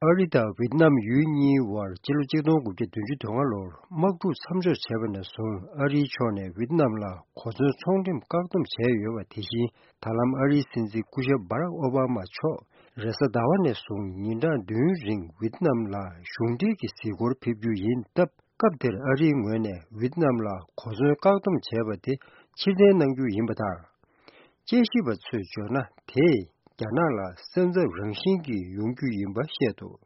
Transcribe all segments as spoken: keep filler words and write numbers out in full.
ཨ་རི་དང་ཝེ་ཏི་ནམ་ཡུལ་གཉིས་དབར་སྤྱི་ལོ་གཅིག་སྟོང་དགུ་བརྒྱ་བདུན་ཅུ་དོན་ལྔ་ལོར་དམག་འཁྲུག་མཚམས་འཇོག་བྱས་པ་ནས་བཟུང་། ཨ་རིའི་ཕྱོགས་ནས་ཝེ་ཏི་ནམ་ལ་གོ་མཚོན་ཚོང་འགྲེམས་བཀག་སྡོམ་བྱས་ཡོད་པ་དེ་བཞིན། ད་ལམ་ཨ་རིའི་སྲིད་འཛིན་སྐུ་ཞབས་སྦ་རག་ཨོ་བྷ་མ་མཆོག་རེས་གཟའ་ཟླ་བ་ནས་བཟུང་ཉིན་གྲངས་བདུན་རིང་ཝེ་ཏི་ནམ་ལ་གཞུང་འབྲེལ་གྱི་གཟིགས་སྐོར་ཕེབས་རྒྱུ་ཡིན་སྟབས། སྐབས་དེར་ཨ་རིའི་ངོས་ནས་ཝེ་ཏི་ནམ་ལ་གོ་མཚོན་བཀག་སྡོམ་བྱས་པ་དེ་ཕྱིར་འཐེན་གནང་རྒྱུ་ཡིན་པ་དང་། དཔྱད་ཞིབ་པ་ཚོས་བརྗོད་ན། དེས་རྒྱ་ནག་ལ་སེམས་འཚབ་རང་བཞིན་གྱིས་ཡོང་རྒྱུ་ཡིན་པ་བཤད་འདུག་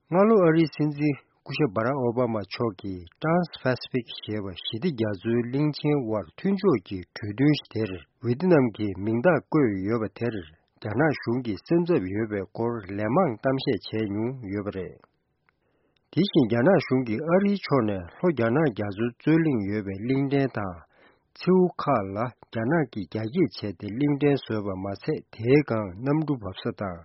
སྔ་ལོ་ཨ་རིའི་སྲིད་འཛིན་སྐུ་ཞབས་སྦ་རག་ཨོ་བྷ་མ་མཆོག་གིས་Trans-Pacific ཞེས་པ་ཞི་བདེ་རྒྱ་མཚོའི་གླིང་ཆེན་དབར་མཐུན་ཕྱོགས་ཀྱི་གྲོས་མཐུན་དེར་ཝེ་ཏི་ནམ་གྱི་མིང་རྟགས་བཀོད་ཡོད་པ་དེར། རྒྱ་ནག་གཞུང་གིས་སེམས་འཚབ་ཡོད་པའི་སྐོར་ལན་མང་གཏམ་བཤད་བྱས་མྱོང་ཡོད་པ་རེད། དེ་བཞིན་རྒྱ་ནག་གཞུང་གིས་ཨ་རིའི་ཕྱོགས་ནས་ལྷོ་རྒྱ་ནག་རྒྱ་མཚོའི་རྩོད་གླེང་ཡོད་པའི་གླིང་ཕྲན་དང་། མཚེའུ་ཁག་ལ་རྒྱ་ནག་གིས་རྒྱ་སྐྱེད་བྱས་ཏེ་གླིང་ཕྲན་བཟོས་པ་མ་ཟད། དེའི་སྒང་གནམ་གྲུ་འབབ་ས་དང་།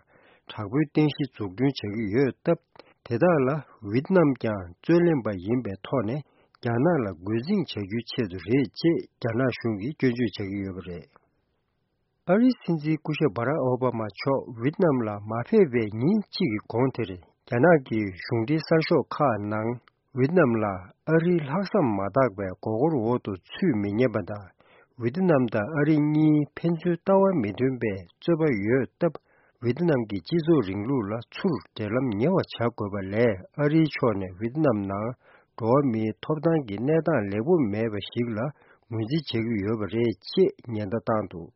དྲག་པོའི་རྟེན་གཞི་འཛུགས་སྐྲུན་བྱེད་ཀྱི་ཡོད་སྟབས། དེ་དག་ལ་ཝེ་ཏི་ནམ་ཀྱང་རྩོད་ལེན་པ་ཡིན་པའི་ཐོག་ནས་རྒྱ་ནག་ལ་རྒོལ་འཛིང་བྱ་རྒྱུའི་ཆེད་དུ་རེད་ཅེས་རྒྱ་ནག་གཞུང་གིས་སྐྱོན་བརྗོད་བྱ་གི་ཡོད་པ་རེད། ཨ་རིའི་སྲིད་འཛིན་སྐུ་ཞབས་སྦ་རག་ཨོ་བྷ་མ་མཆོག་ཝེ་ཏི་ནམ་ལ་མ་ཕེབས་པའི་ཉིན་གཅིག་གི་གོང་དེར། རྒྱ་ནག་གི་གཞུང་འབྲེལ་གསར་ཤོག་ཁག་ནང་ཝེ་ཏི་ནམ་ལ་ཨ་རིའི་ལྷག་བསམ་མ་དག་པའི་མགོ་སྐོར་འོག་ཏུ་ཚུད་མི་ཉན་པ་དང་། ཝེ་ཏི་ནམ་དང་ཨ་རི་གཉིས་ཕན་ཚུན་ལྟ་བ་མི་མཐུན་པའི་རྩོད་པ་ཡོད་སྟབས། ཝེ་ཏི་ནམ་གྱི་སྤྱི་ཚོགས་རིང་ལུགས་ལ་ཚུར་འབྲེལ་ལམ་ཉེ་བ་བྱ་དགོས་པ་ལས། ཨ་རིའི་ཕྱོགས་ནས་ཝེ་ཏི་ནམ་ནང་འགྲོ་བ་མིའི་ཐོབ་ཐང་གི་གནས་སྟངས་ལེགས་པོ་མེད་པ་ཞིག་ལ་ངོས་འཛིན་བྱེད་ཀྱི་ཡོད་པ་རེད་ཅེས་ཉེན་བརྡ་བཏང་འདུག་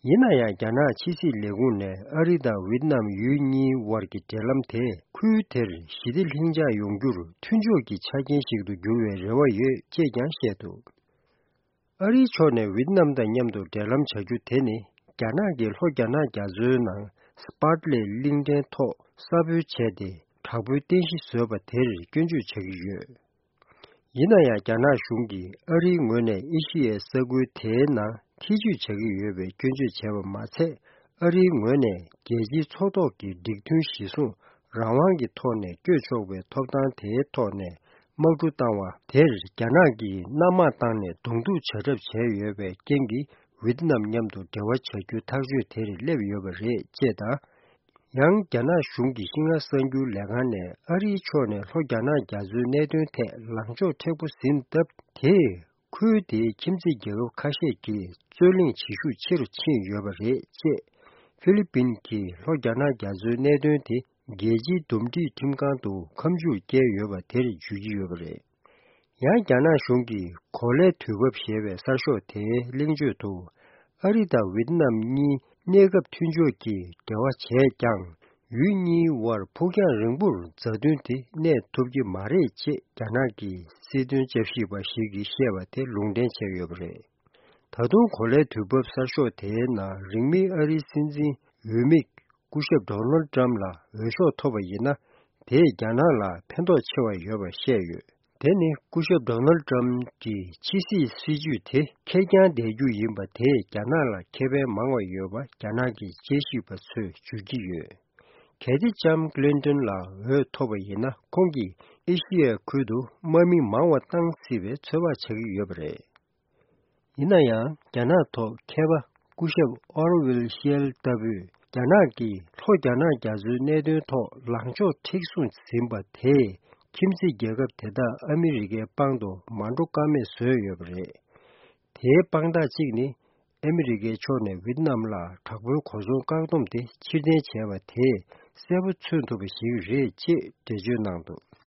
ཡིན་ན་ཡང་། རྒྱ་ནག་ཕྱི་སྲིད་ལས་ཁུངས་ནས་ཨ་རི་དང་ཝེ་ཏི་ནམ་ཡུལ་གཉིས་དབར་གྱི་འབྲེལ་ལམ་དེ་ཁུལ་དེར་ཞི་བདེ་ལྷིང་འཇགས་ཡོང་རྒྱུར་མཐུན་ཕྱོགས་ཀྱི་ཆ་རྐྱེན་ཞིག་ཏུ་འགྱུར་བའི་རེ་བ་ཡོད་ཅེས་ཀྱང་བཤད་འདུག་ཨ་རིའི་ཕྱོགས་ནས་ཝེ་ཏི་ནམ་དང་མཉམ་དུ་འབྲེལ་ལམ་བྱ་རྒྱུ་དེ་ནི། རྒྱ་ནག་གིས་ལྷོ་རྒྱ་ནག་རྒྱ་མཚོའི་ནང་སི་པཱ་ཏི་ལེ་གླིང་ཕྲན་ཐོག་གསར་སྦོལ་བྱས་ཏེ། དྲག་པོའི་རྟེན་གཞི་བཟོས་པ་དེར་སྐྱོན་བརྗོད་བྱ་གི་ཡོད། ཡིན་ན་ཡང་། རྒྱ་ནག་གཞུང་གིས་ཨ་རིའི་ངོས་ནས་ཨེ་ཤི་ཡའི་ས་ཁུལ་དེའི་ནང་ཐེ་ཇུས་བྱ་གི་ཡོད་པའི་སྐྱོན་བརྗོད་བྱས་པ་མ་ཟད། ཨ་རིའི་ངོས་ནས་རྒྱལ་སྤྱིའི་ཚོགས་ཐོག་གི་སྒྲིག་མཐུན་གཞིར་བཟུང་རང་དབང་གི་ཐོག་ནས་བསྐྱོད་ཆོག་པའི་ཐོབ་ཐང་དེའི་ཐོག་ནས་དམག་འཁྲུག་བཏང་བ་དེར་རྒྱ་ནག་གིས་གནམ་དམག་བཏང་ནས་གདོང་ཐུག་བྱ་གྲབས་བྱས་ཡོད་པའི་རྐྱེན་གྱིས། ཝེ་ཏི་ནམ་མཉམ་དུ་འབྲེལ་བ་བྱ་རྒྱུ་ཐག་གཅོད་དེར་སླེབས་ཡོད་པ་རེད་ཅེས་དང་། ཡང་། རྒྱ་ནག་གཞུང་གི་ཤིན་ཧྭ་གསར་འགྱུར་ལས་ཁང་ནས་ཨ་རིའི་ཕྱོགས་ནས་ལྷོ་རྒྱ་ནག་རྒྱ་མཚོའི་གནད་དོན་ཐད་ལངས་ཕྱོགས་མཁྲེགས་པོ་ཟིན་སྟབས། དེས་ཁུལ་དེའི་ཁྱིམ་མཚེས་རྒྱལ་ཁབ་ཁ་ཤས་ཀྱིས་རྩོད་གླེང་བྱེད་ཤུགས་ཆེ་རུ་ཕྱིན་ཡོད་པ་རེད་ཅེས། ཧྥི་ལི་པིན་གྱིས་ལྷོ་རྒྱ་ནག་རྒྱ་མཚོའི་གནད་དོན་དེ་རྒྱལ་སྤྱིའི་འདུམ་འགྲིག་ཁྲིམས་ཁང་དུ་ཁ་མཆུ་བཀལ་ཡོད་པ་དེར་བརྗོད་ཀྱི་ཡོད་པ་རེད། ཡང་། རྒྱ་ནག་གཞུང་གིས་གོ་ལའི་དུས་བབ་ཞེས་པའི་གསར་ཤོག་དེའི་གླེང་བརྗོད་དུ། ཨ་རི་དང་ཝེ་ཏི་ནམ་གཉིས་གནས་སྐབས་མཐུན་ཕྱོགས་ཀྱི་འབྲེལ་བ་བྱས་ཀྱང་། ཡུལ་གཉིས་དབར་ཕུགས་རྒྱང་རིང་པོར་མཛའ་མཐུན་དེ་གནས་ཐུབ་ཀྱི་མ་རེད་ཅེས་རྒྱ་ནག་གི་སྲིད་དོན་དཔྱད་ཞིབ་པ་ཞིག་གིས་བཤད་པ་དེ་ལུང་འདྲེན་བྱས་ཡོད་པ་རེད། ད་དུང་གོ་ལའི་དུས་བབ་གསར་ཤོག་དེའི་ནང་། རིང་མིན་ཨ་རིའི་སྲིད་འཛིན་འོས་མི་སྐུ་ཞབས་ཌོ་ནལ་ཏྲམ་ལ་འོས་ཤོག་ཐོབ་པ་ཡིན་ན། དེས་རྒྱ་ནག་ལ་ཕན་ཐོགས་ཆེ་བ་ཡོད་པ་བཤད་ཡོད། དེ་ནི་སྐུ་ཞབས་ཌོ་ནལ་ཏྲམ་གྱི་ཕྱི་སྲིད་སྲིད་ཇུས་དེ་ཁེར་རྐྱང་བསྡད་རྒྱུ་ཡིན་པ་དེས་རྒྱ་ནག་ལ་ཁེ་ཕན་མང་བ་ཡོད་པ་རྒྱ་ནག་གི་དཔྱད་ཞིབ་པ་ཚོས་བརྗོད་ཀྱི་ཡོད། གལ་ཏེ་ལྕམ་ཀླིན་ཏོན་ལ་འོས་ཐོབ་པ་ཡིན་ན། ཁོང་གིས་ཨེ་ཤི་ཡའི་ཁུལ་དུ་དམག་མི་མང་བ་བཏང་སྲིད་པའི་ཚོད་དཔག་བྱ་གི་ཡོད་པ་རེད། ཡིན་ན་ཡང་། རྒྱ་ནག་ཐོག་མཁས་པ་སྐུ་ཞབས་ཨོར་ཝེལ་ཤེལ་ལྟ་བུས། རྒྱ་ནག་གིས་ལྷོ་རྒྱ་ནག་རྒྱ་མཚོའི་གནད་དོན་ཐོག་ལངས་ཕྱོགས་མཁྲེགས་བཟུང་ཟིན་པ་དེས། ཁྱིམ་མཚེས་རྒྱལ་ཁབ་དེ་དག་ཨ་མི་རི་ཀའི་པང་དུ་མ་འགྲོ་ཀ་མེད་བཟོས་ཡོད་པ་རེད། དེའི་དཔང་རྟགས་གཅིག་ནི། ཨ་མི་རི་ཀའི་ཕྱོགས་ནས་ཝེ་ཏི་ནམ་ལ་དྲག་པོའི་གོ་མཚོན་བཀག་སྡོམ་དེ་ཕྱིར་འཐེན་བྱས་པ་དེས་གསལ་པོ་མཚོན་ཐུབ་པ་ཞིག་རེད་ཅེས་འགྲེལ་བརྗོད་གནང་འདུག